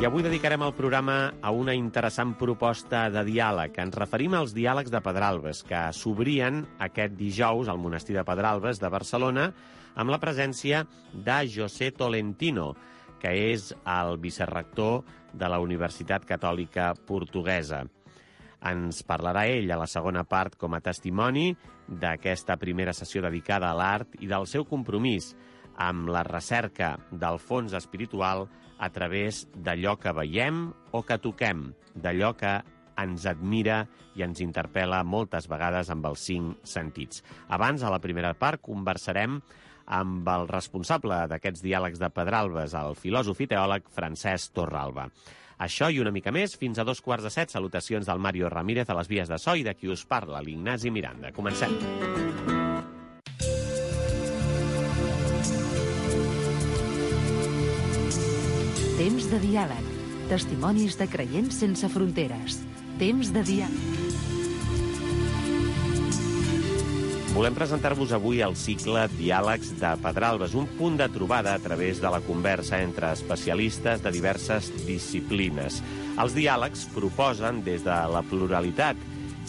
I avui dedicarem el programa a una interessant proposta de diàleg. Ens referim als diàlegs de Pedralbes, que s'obrien aquest dijous al monestir de Pedralbes de Barcelona amb la presència de José Tolentino, que és el vicerrector de la Universitat Catòlica Portuguesa. Ens parlarà ell a la segona part com a testimoni d'aquesta primera sessió dedicada a l'art i del seu compromís amb la recerca del fons espiritual a través d'allò que veiem o que toquem, d'allò que ens admira i ens interpel·la moltes vegades amb els 5 sentits. Abans, a la primera part, conversarem amb el responsable d'aquests diàlegs de Pedralbes, el filòsof i teòleg Francesc Torralba. Això i una mica més, fins a 6:45. Salutacions del Mario Ramírez a les vies de so i de qui us parla, l'Ignasi Miranda. Comencem. Temps de diàleg. Testimonis de creients sense fronteres. Temps de diàleg. Volem presentar-vos avui el cicle Diàlegs de Pedralbes, un punt de trobada a través de la conversa entre especialistes de diverses disciplines. Els diàlegs proposen, des de la pluralitat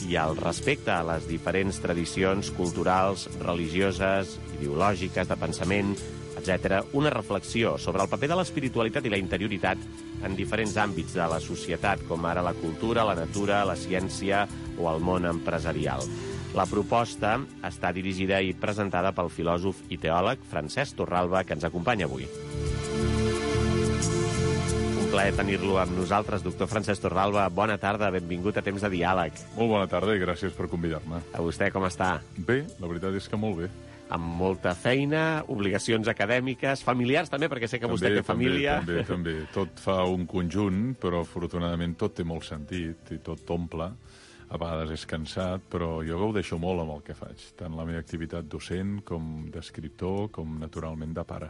i el respecte a les diferents tradicions culturals, religioses, ideològiques, de pensament, etc., una reflexió sobre el paper de l'espiritualitat i la interioritat en diferents àmbits de la societat, com ara la cultura, la natura, la ciència o el món empresarial. La proposta està dirigida i presentada pel filòsof i teòleg Francesc Torralba, que ens acompanya avui. Un plaer tenir-lo amb nosaltres, doctor Francesc Torralba. Bona tarda, benvingut a Temps de Diàleg. Molt bona tarda i gràcies per convidar-me. A vostè com està? Bé, la veritat és que molt bé. Amb molta feina, obligacions acadèmiques, familiars també, perquè sé que vostè té família. També. Tot fa un conjunt, però afortunadament tot té molt sentit i tot t'omple. A vegades és cansat, però jo gaudeixo molt amb el que faig, tant la meva activitat docent com d'escriptor, com naturalment de pare.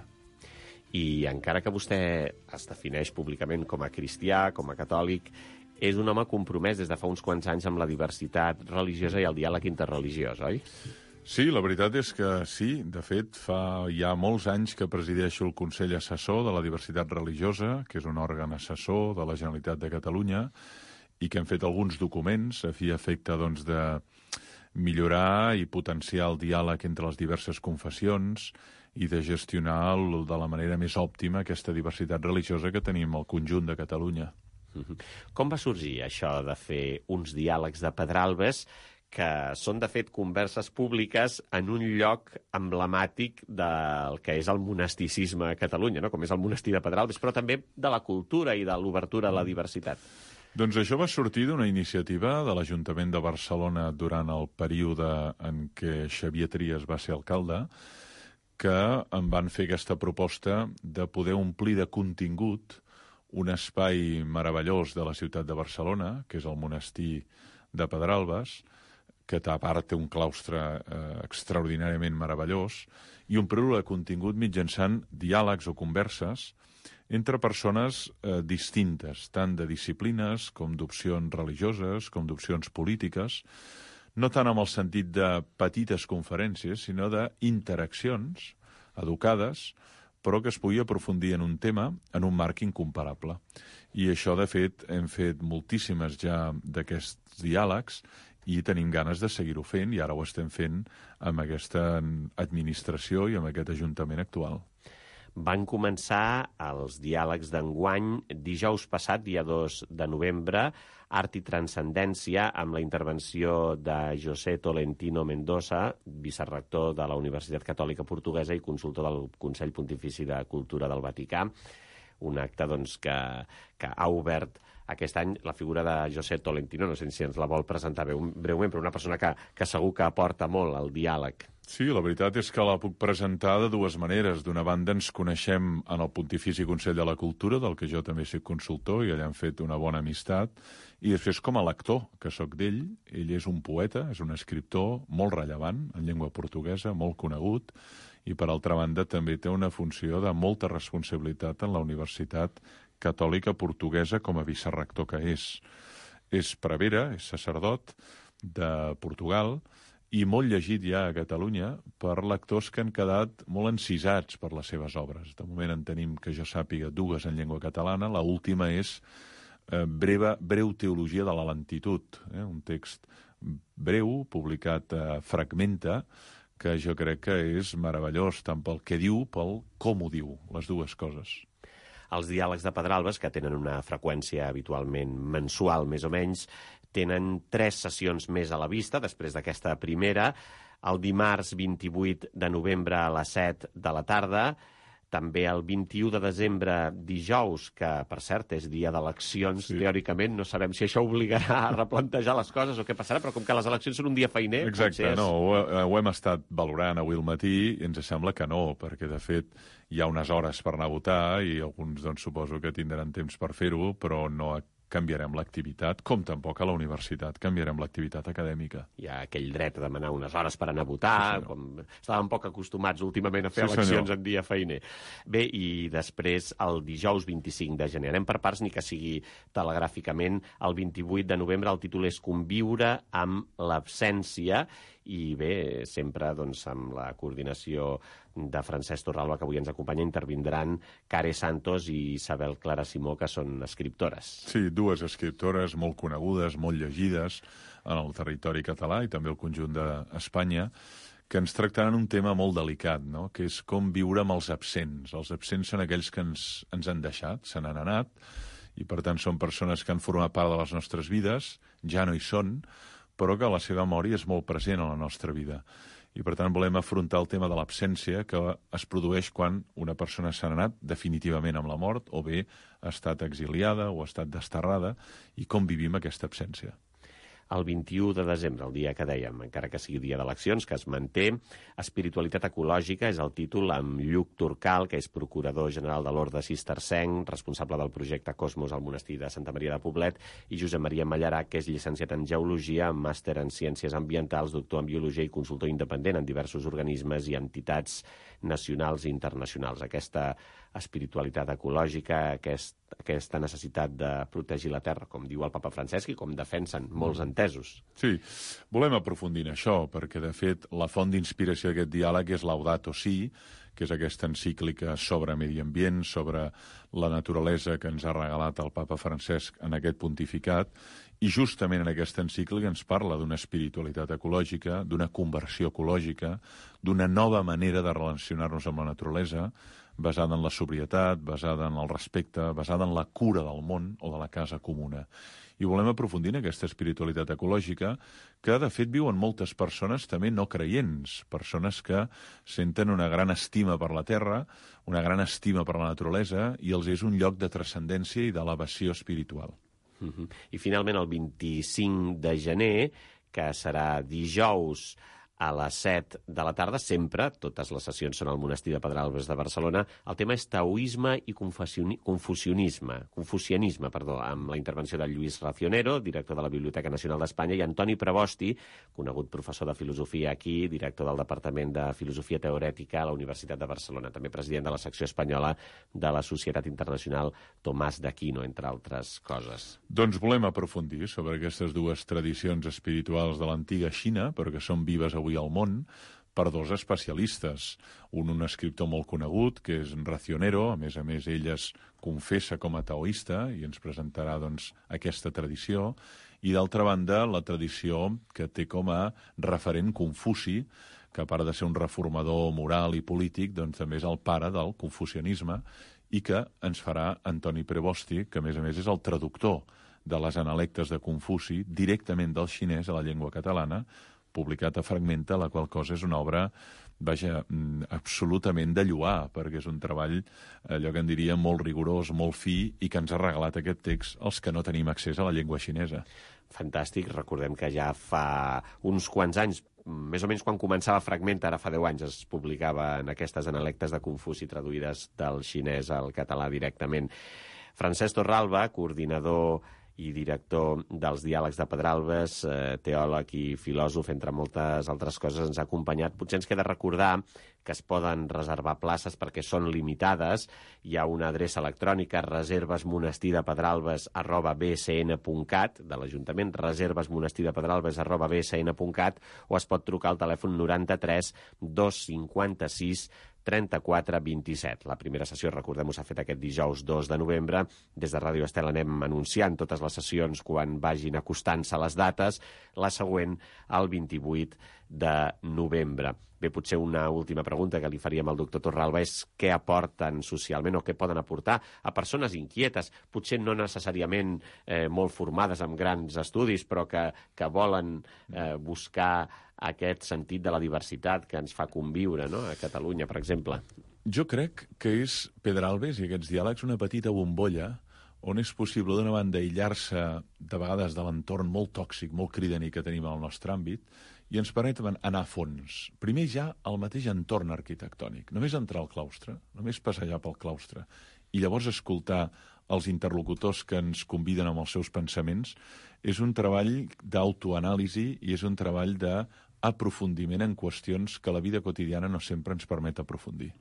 I encara que vostè es defineix públicament com a cristià, com a catòlic, és un home compromès des de fa uns quants anys amb la diversitat religiosa i el diàleg interreligiós, oi? Sí, la veritat és que sí. De fet, fa ja molts anys que presideixo el Consell Assessor de la Diversitat Religiosa, que és un òrgan assessor de la Generalitat de Catalunya, i que hem fet alguns documents a fi i efecte doncs, de millorar i potenciar el diàleg entre les diverses confessions i de gestionar de la manera més òptima aquesta diversitat religiosa que tenim al conjunt de Catalunya. Com va sorgir això de fer uns diàlegs de Pedralbes que són, de fet, converses públiques en un lloc emblemàtic del que és el monasticisme a Catalunya, no? Com és el monestir de Pedralbes, però també de la cultura i de l'obertura a la diversitat? Doncs això va sortir d'una iniciativa de l'Ajuntament de Barcelona durant el període en què Xavier Trias va ser alcalde, que em van fer aquesta proposta de poder omplir de contingut un espai meravellós de la ciutat de Barcelona, que és el monestir de Pedralbes, que a part té un claustre extraordinàriament meravellós, i omplir-lo de contingut mitjançant diàlegs o converses entre persones distintes, tant de disciplines com d'opcions religioses, com d'opcions polítiques, no tant amb el sentit de petites conferències, sinó d'interaccions educades, però que es pugui aprofundir en un tema en un marc incomparable. I això, de fet, hem fet moltíssimes ja d'aquests diàlegs i tenim ganes de seguir-ho fent, i ara ho estem fent amb aquesta administració i amb aquest ajuntament actual. Van començar els diàlegs d'enguany dijous passat, dia 2 de novembre, Art i Transcendència, amb la intervenció de José Tolentino Mendoza, vicerrector de la Universitat Catòlica Portuguesa i consultor del Consell Pontifici de Cultura del Vaticà. Un acte doncs, que ha obert aquest any la figura de José Tolentino. No sé si ens la vol presentar breument, però una persona que segur que aporta molt al diàleg. Sí, la veritat és que la puc presentar de dues maneres. D'una banda, ens coneixem en el Pontifici Consell de la Cultura, del que jo també soc consultor, i allà hem fet una bona amistat. I després, com a lector, que sóc d'ell, ell és un poeta, és un escriptor molt rellevant en llengua portuguesa, molt conegut, i per altra banda també té una funció de molta responsabilitat en la Universitat Catòlica Portuguesa com a vicerrector que és. És prevere, és sacerdot de Portugal, i molt llegit ja a Catalunya per lectors que han quedat molt encisats per les seves obres. De moment en tenim, que jo sàpiga, 2 en llengua catalana. La última és Breu teologia de la lentitud, un text breu, publicat a Fragmenta, que jo crec que és meravellós, tant pel que diu, pel com ho diu, les dues coses. Els diàlegs de Pedralbes, que tenen una freqüència habitualment mensual, més o menys, tenen 3 sessions més a la vista, després d'aquesta primera, el dimarts 28 de novembre a les 7 de la tarda, també el 21 de desembre, dijous, que, per cert, és dia d'eleccions, teòricament, no sabem si això obligarà a replantejar les coses o què passarà, però com que les eleccions són un dia feiner... Exacte, no, ho hem estat valorant avui al matí i ens sembla que no, perquè, de fet, hi ha unes hores per anar a votar i alguns, doncs, suposo que tindran temps per fer-ho, però no canviarem l'activitat, com tampoc a la universitat canviarem l'activitat acadèmica. Hi ha aquell dret a demanar unes hores per anar a votar, sí, com estàvem poc acostumats últimament a fer eleccions en dia feiner. Bé, i després el dijous 25 de gener. Anem per parts, ni que sigui telegràficament. El 28 de novembre el títol és Conviure amb l'absència, i bé, sempre doncs, amb la coordinació de Francesc Torralba, que avui ens acompanya, intervindran Care Santos i Isabel Clara Simó, que són escriptores. Sí, 2 escriptores molt conegudes, molt llegides en el territori català i també el conjunt d'Espanya, que ens tractaran un tema molt delicat, no? Que és com viure amb els absents. Els absents són aquells que ens han deixat, se n'han anat, i per tant són persones que han format part de les nostres vides, ja no hi són, però que la seva memòria és molt present a la nostra vida. I, per tant, volem afrontar el tema de l'absència que es produeix quan una persona s'ha anat definitivament amb la mort o bé ha estat exiliada o ha estat desterrada i com vivim aquesta absència. El 21 de desembre, el dia que dèiem, encara que sigui dia d'eleccions, que es manté, Espiritualitat ecològica és el títol, amb Lluc Turcal, que és procurador general de l'Orde Cistercenc, responsable del projecte Cosmos al monestir de Santa Maria de Poblet, i Josep Maria Mallarà, que és llicenciat en Geologia, màster en Ciències Ambientals, doctor en Biologia i consultor independent en diversos organismes i entitats nacionals i internacionals. Aquesta espiritualitat ecològica, aquesta necessitat de protegir la terra, com diu el papa Francesc i com defensen molts entesos. Sí, volem aprofundir en això, perquè, de fet, la font d'inspiració d'aquest diàleg és Laudato Si, que és aquesta encíclica sobre medi ambient, sobre la naturalesa que ens ha regalat el papa Francesc en aquest pontificat, i justament en aquesta encíclica ens parla d'una espiritualitat ecològica, d'una conversió ecològica, d'una nova manera de relacionar-nos amb la naturalesa, basada en la sobrietat, basada en el respecte, basada en la cura del món o de la casa comuna. I volem aprofundir en aquesta espiritualitat ecològica que, de fet, viuen moltes persones també no creients, persones que senten una gran estima per la terra, una gran estima per la naturalesa, i els és un lloc de transcendència i d'elevació espiritual. I finalment el 25 de gener, que serà dijous a les 7 de la tarda, sempre, totes les sessions són al monestir de Pedralbes de Barcelona, el tema és taoisme i confucianisme, amb la intervenció de Lluís Racionero, director de la Biblioteca Nacional d'Espanya, i Antoni Prebosti, conegut professor de filosofia aquí, director del Departament de Filosofia Teorètica a la Universitat de Barcelona, també president de la secció espanyola de la Societat Internacional Tomàs d'Aquino, entre altres coses. Doncs volem aprofundir sobre aquestes 2 tradicions espirituals de l'antiga Xina, però que són vives avui al món, per 2 especialistes. Un escriptor molt conegut, que és Racionero, a més, ell es confessa com a taoista i ens presentarà, doncs, aquesta tradició, i d'altra banda, la tradició que té com a referent Confuci, que a part de ser un reformador moral i polític, doncs també és el pare del confucianisme, i que ens farà Antoni Prebosti, que a més és el traductor de les analectes de Confuci directament del xinès a la llengua catalana, publicat a Fragmenta, la qual cosa és una obra, absolutament de lloar, perquè és un treball, allò que en diria, molt rigorós, molt fi, i que ens ha regalat aquest text els que no tenim accés a la llengua xinesa. Fantàstic, recordem que ja fa uns quants anys, més o menys quan començava Fragmenta, ara fa 10 anys, es publicaven aquestes analectes de Confuci traduïdes del xinès al català directament. Francesc Torralba, coordinador i director dels Diàlegs de Pedralbes, teòleg i filòsof, entre moltes altres coses, ens ha acompanyat. Potser ens queda recordar que es poden reservar places perquè són limitades. Hi ha una adreça electrònica, reservesmonestydepedralbes@bsn.cat, de l'Ajuntament, reservesmonestydepedralbes@bsn.cat, o es pot trucar al telèfon 93 256 34 27. La primera sessió, recordem-ho, s'ha fet aquest dijous 2 de novembre. Des de Ràdio Estel anem anunciant totes les sessions quan vagin acostant-se les dates. La següent, el 28 de novembre. Bé, potser una última pregunta que li faríem al doctor Torralba és què aporten socialment o què poden aportar a persones inquietes, potser no necessàriament molt formades amb grans estudis, però que volen buscar aquest sentit de la diversitat que ens fa conviure, no?, a Catalunya, per exemple. Jo crec que és Pedralbes i aquests diàlegs una petita bombolla on és possible, d'una banda, aïllar-se de vegades de l'entorn molt tòxic, molt cridaner que tenim al nostre àmbit, i ens permet anar a fons. Primer ja al mateix entorn arquitectònic. Només entrar al claustre, només passejar pel claustre, i llavors escoltar els interlocutors que ens conviden amb els seus pensaments, és un treball d'autoanàlisi i és un treball d'aprofundiment en qüestions que la vida quotidiana no sempre ens permet aprofundir.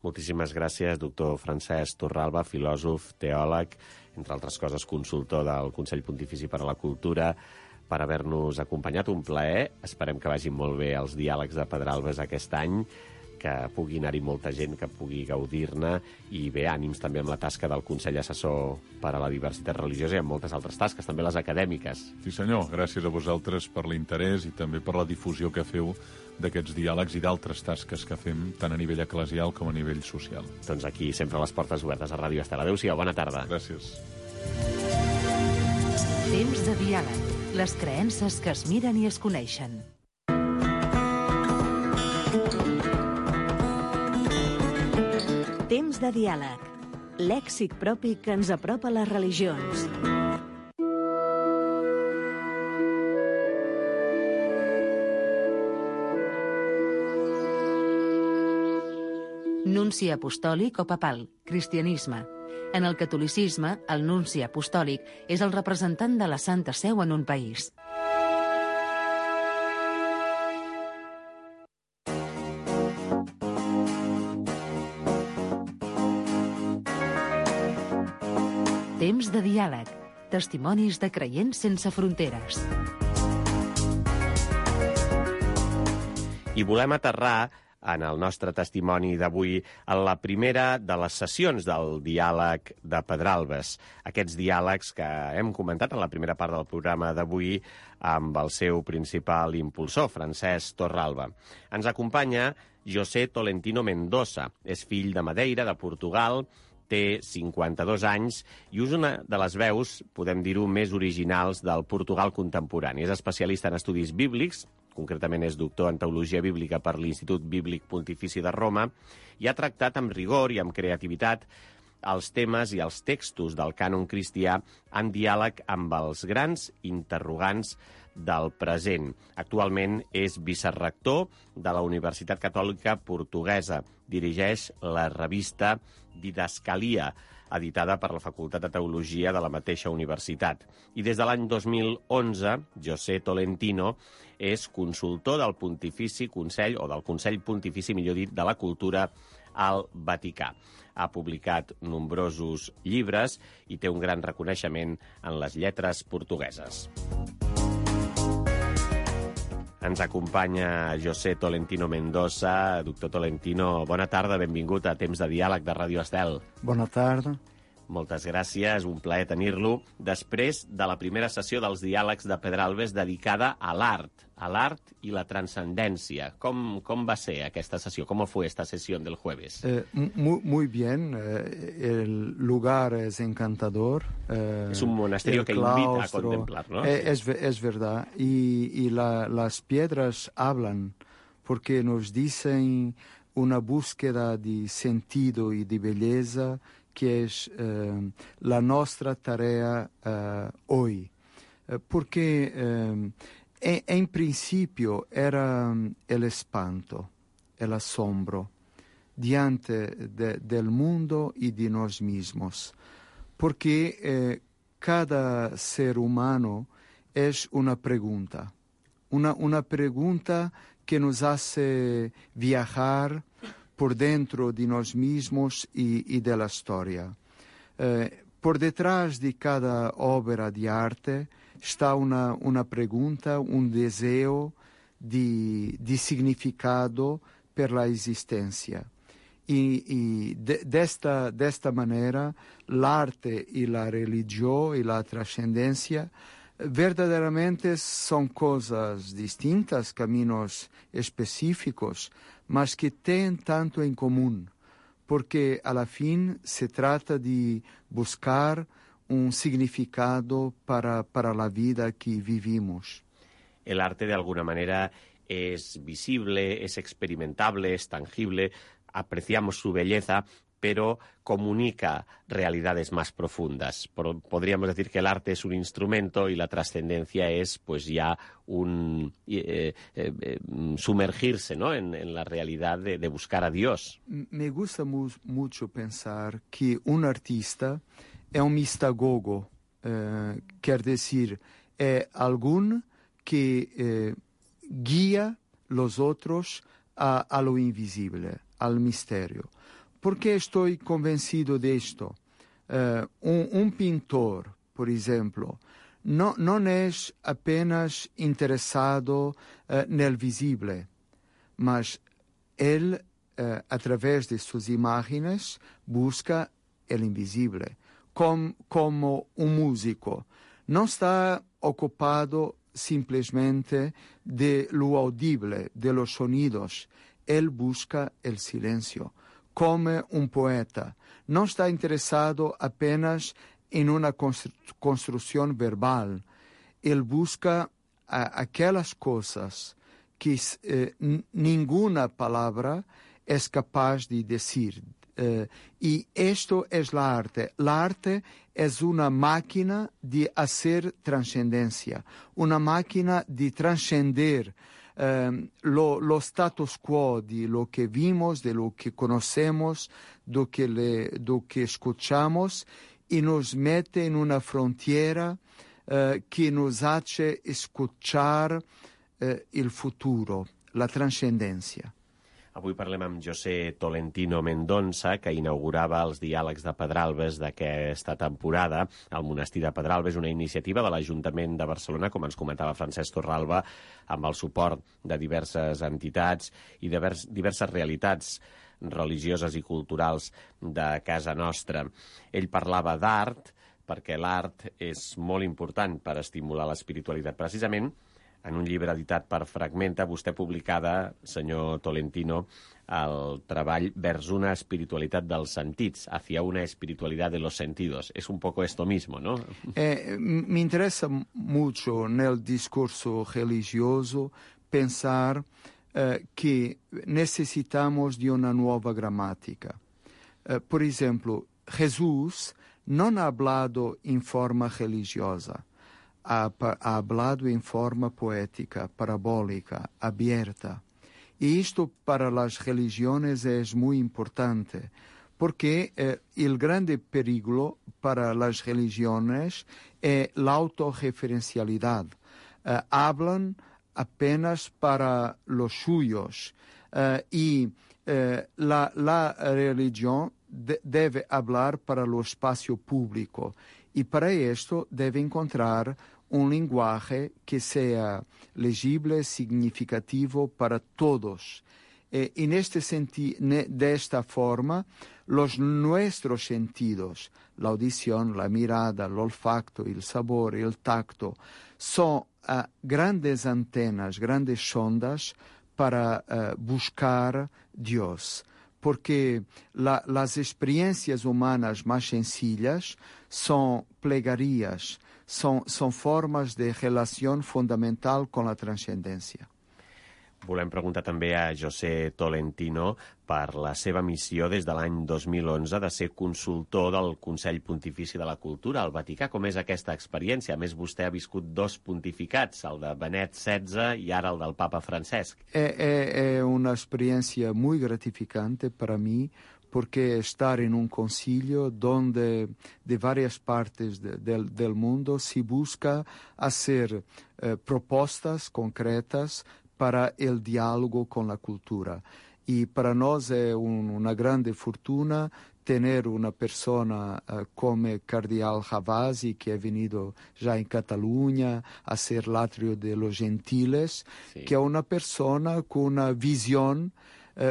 Moltíssimes gràcies, doctor Francesc Torralba, filòsof, teòleg, entre altres coses consultor del Consell Pontifici per a la Cultura, per haver-nos acompanyat. Un plaer. Esperem que vagin molt bé els diàlegs de Pedralbes aquest any, que pugui anar-hi molta gent, que pugui gaudir-ne, i bé, ànims també amb la tasca del Consell Assessor per a la Diversitat Religiosa i amb moltes altres tasques, també les acadèmiques. Sí, senyor. Gràcies a vosaltres per l'interès i també per la difusió que feu d'aquests diàlegs i d'altres tasques que fem, tant a nivell eclesial com a nivell social. Doncs aquí sempre les portes obertes a Ràdio Estel. Adéu-siau, bona tarda. Gràcies. Temps de diàleg. Les creences que es miren i es coneixen. Temps de diàleg. Lèxic propi que ens apropa a les religions. Nunci apostòlic o papal, cristianisme. En el catolicisme, el nunci apostòlic és el representant de la Santa Seu en un país. Temps de diàleg. Testimonis de creients sense fronteres. I volem aterrar en el nostre testimoni d'avui en la primera de les sessions del diàleg de Pedralbes. Aquests diàlegs que hem comentat en la primera part del programa d'avui amb el seu principal impulsor, Francesc Torralba. Ens acompanya José Tolentino Mendoza. És fill de Madeira, de Portugal, té 52 anys i és una de les veus, podem dir-ho, més originals del Portugal contemporani. És especialista en estudis bíblics, concretament és doctor en Teologia Bíblica per l'Institut Bíblic Pontifici de Roma, i ha tractat amb rigor i amb creativitat els temes i els textos del cànon cristià en diàleg amb els grans interrogants del present. Actualment és vicerrector de la Universitat Catòlica Portuguesa. Dirigeix la revista Didascalia, editada per la Facultat de Teologia de la mateixa universitat. I des de l'any 2011, José Tolentino és consultor del Pontifici Consell, o del Consell Pontifici, millor dit, de la Cultura al Vaticà. Ha publicat nombrosos llibres i té un gran reconeixement en les lletres portugueses. Ens acompanya José Tolentino Mendoza. Doctor Tolentino, bona tarda, benvingut a Temps de Diàleg de Ràdio Estel. Bona tarda. Moltes gràcies, un plaer tenir-lo. Després de la primera sessió dels diàlegs de Pedralbes dedicada a l'art i la transcendència. ¿Cómo va a ser esta sesión? ¿Cómo fue esta sesión del jueves? Muy bien. El lugar es encantador. Es un monasterio que invita a contemplar, ¿no? Es verdad. Y las piedras hablan porque nos dicen una búsqueda de sentido y de belleza que es la nuestra tarea hoy. Porque en principio era el espanto, el asombro diante del mundo y de nosotros mismos. Porque cada ser humano es una pregunta que nos hace viajar por dentro de nós mesmos e da história. Por detrás de cada obra de arte está uma pergunta, desejo de significado pela existência. E desta maneira, l'arte e a religião e a transcendência verdadeiramente são coisas distintas, caminhos específicos, mas que têm tanto em comum, porque, a la fin, se trata de buscar significado para a vida que vivimos. El arte, de alguna manera, es visible, es experimentable, es tangible, apreciamos su belleza, pero comunica realidades más profundas. Podríamos decir que el arte es un instrumento y la trascendencia es pues ya sumergirse, ¿no?, en la realidad de buscar a Dios. Me gusta mucho pensar que un artista es un mistagogo, quer decir, es alguien que guía los otros a lo invisible, al misterio. ¿Por qué estoy convencido de esto? Un pintor, por ejemplo, no es apenas interesado en el visible, mas él, a través de sus imágenes, busca el invisible. Como un músico, no está ocupado simplesmente de lo audible, de los sonidos. Él busca el silencio. Como un poeta, no está interesado apenas en una construcción verbal. Él busca aquellas cosas que ninguna palabra es capaz de decir. Y esto es la arte. La arte es una máquina de hacer trascendencia, una máquina de trascender lo status quo de lo que vimos, de lo que conocemos, de lo que escuchamos, y nos mete en una frontera que nos hace escuchar el futuro, la trascendencia. Avui parlem amb José Tolentino Mendonça, que inaugurava els diàlegs de Pedralbes d'aquesta temporada al monestir de Pedralbes, una iniciativa de l'Ajuntament de Barcelona, com ens comentava Francesc Torralba, amb el suport de diverses entitats i diverses realitats religioses i culturals de casa nostra. Ell parlava d'art, perquè l'art és molt important per estimular l'espiritualitat. Precisament, en un llibre editat per Fragmenta, vostè publicada, senyor Tolentino, el treball Vers una espiritualitat dels sentits, hacia una espiritualidad de los sentidos. Es un poco esto mismo, ¿no? Me interesa mucho en el discurso religioso pensar que necesitamos de una nueva gramática. Por ejemplo, Jesús no ha hablado en forma religiosa. Ha hablado en forma poética, parabólica, abierta. Y esto para las religiones es muy importante, porque el grande peligro para las religiones es la autorreferencialidad. Hablan apenas para los suyos y la religión debe hablar para el espacio público. Y para esto debe encontrar un lenguaje que sea legible, significativo para todos. En este sentido, de esta forma, nuestros sentidos, la audición, la mirada, el olfato, el sabor, el tacto, son grandes antenas, grandes sondas para buscar Dios. Porque las experiencias humanas más sencillas son plegarias, son formas de relación fundamental con la trascendencia. Volem preguntar també a José Tolentino per la seva missió des de l'any 2011 de ser consultor del Consell Pontifici de la Cultura al Vaticà. Com és aquesta experiència? A més, vostè ha viscut 2 pontificats, el de Benet XVI i ara el del Papa Francesc. Es una experiencia muy gratificante para mí, porque estar en un concilio donde de varias partes del mundo se busca hacer propuestas concretas para el diálogo con la cultura. Y para nos es una grande fortuna tener una persona como Cardeal Ravasi, que ha venido ya en Cataluña a ser l'atrio de los gentiles, Sí. que es una persona con una visión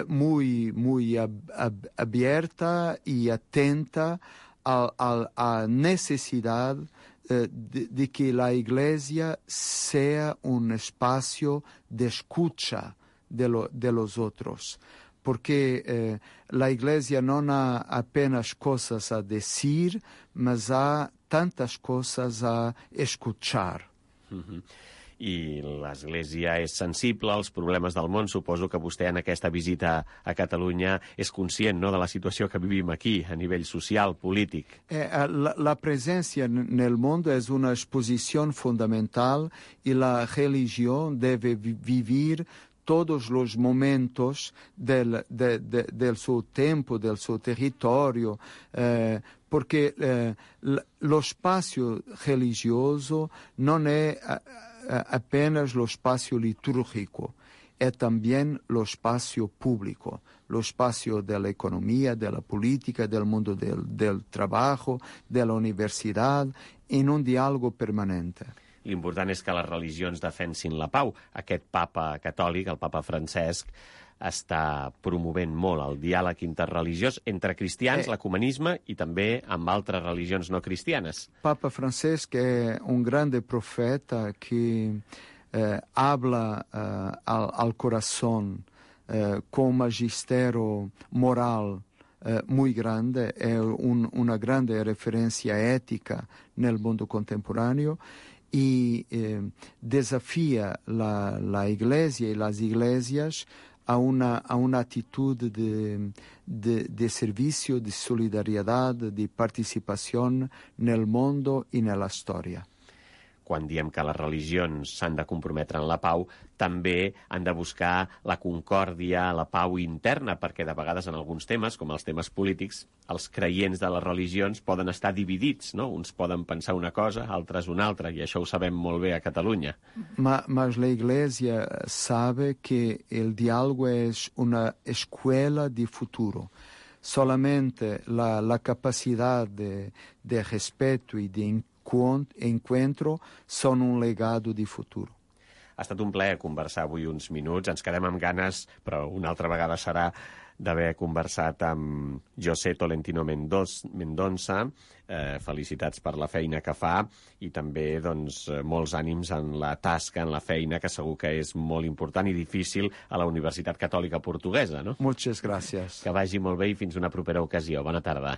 muy abierta y atenta a necesidad de que la Iglesia sea un espacio de escucha de los otros, porque la Iglesia no ha apenas cosas a decir, mas ha tantas cosas a escuchar. I l'Església és sensible als problemes del món. Suposo que vostè en aquesta visita a Catalunya és conscient, no?, de la situació que vivim aquí, a nivell social, polític. La presencia nel mondo es una exposición fundamental y la religión debe vivir todos los momentos del suo tempo, del suo territorio, porque lo spazio religioso non è apenas lo spazio liturgico, è también lo spazio público, lo spazio della economia, della politica, del mondo del trabajo, della università, in un dialogo permanente. L'important és que les religions defensin la pau. Aquest papa catòlic, el papa Francesc, està promovent molt el diàleg interreligiós entre cristians, l'ecumenisme i també amb altres religions no cristianes. Papa Francesc è un grande profeta che habla al corazón con un magistero moral muy grande, è una grande referencia ética nel mondo contemporaneo y desafía la Iglesia y las iglesias a una actitud de servicio, de solidaridad, de participación nel mondo y nella storia. Quan diem que les religions s'han de comprometre en la pau, també han de buscar la concòrdia, la pau interna, perquè de vegades en alguns temes, com els temes polítics, els creients de les religions poden estar dividits, no? Uns poden pensar una cosa, altres una altra, i això ho sabem molt bé a Catalunya. Mas la Iglesia sabe que el diálogo es una escuela de futuro. Solamente la capacidad de respeto y de encuentro són un legado de futur. Ha estat un plaer conversar avui uns minuts. Ens quedem amb ganes, però una altra vegada serà, d'haver conversat amb José Tolentino Mendonça. Felicitats per la feina que fa i també doncs, molts ànims en la tasca, en la feina, que segur que és molt important i difícil a la Universitat Catòlica Portuguesa, no? Muchas gracias. Que vagi molt bé i fins una propera ocasió. Bona tarda.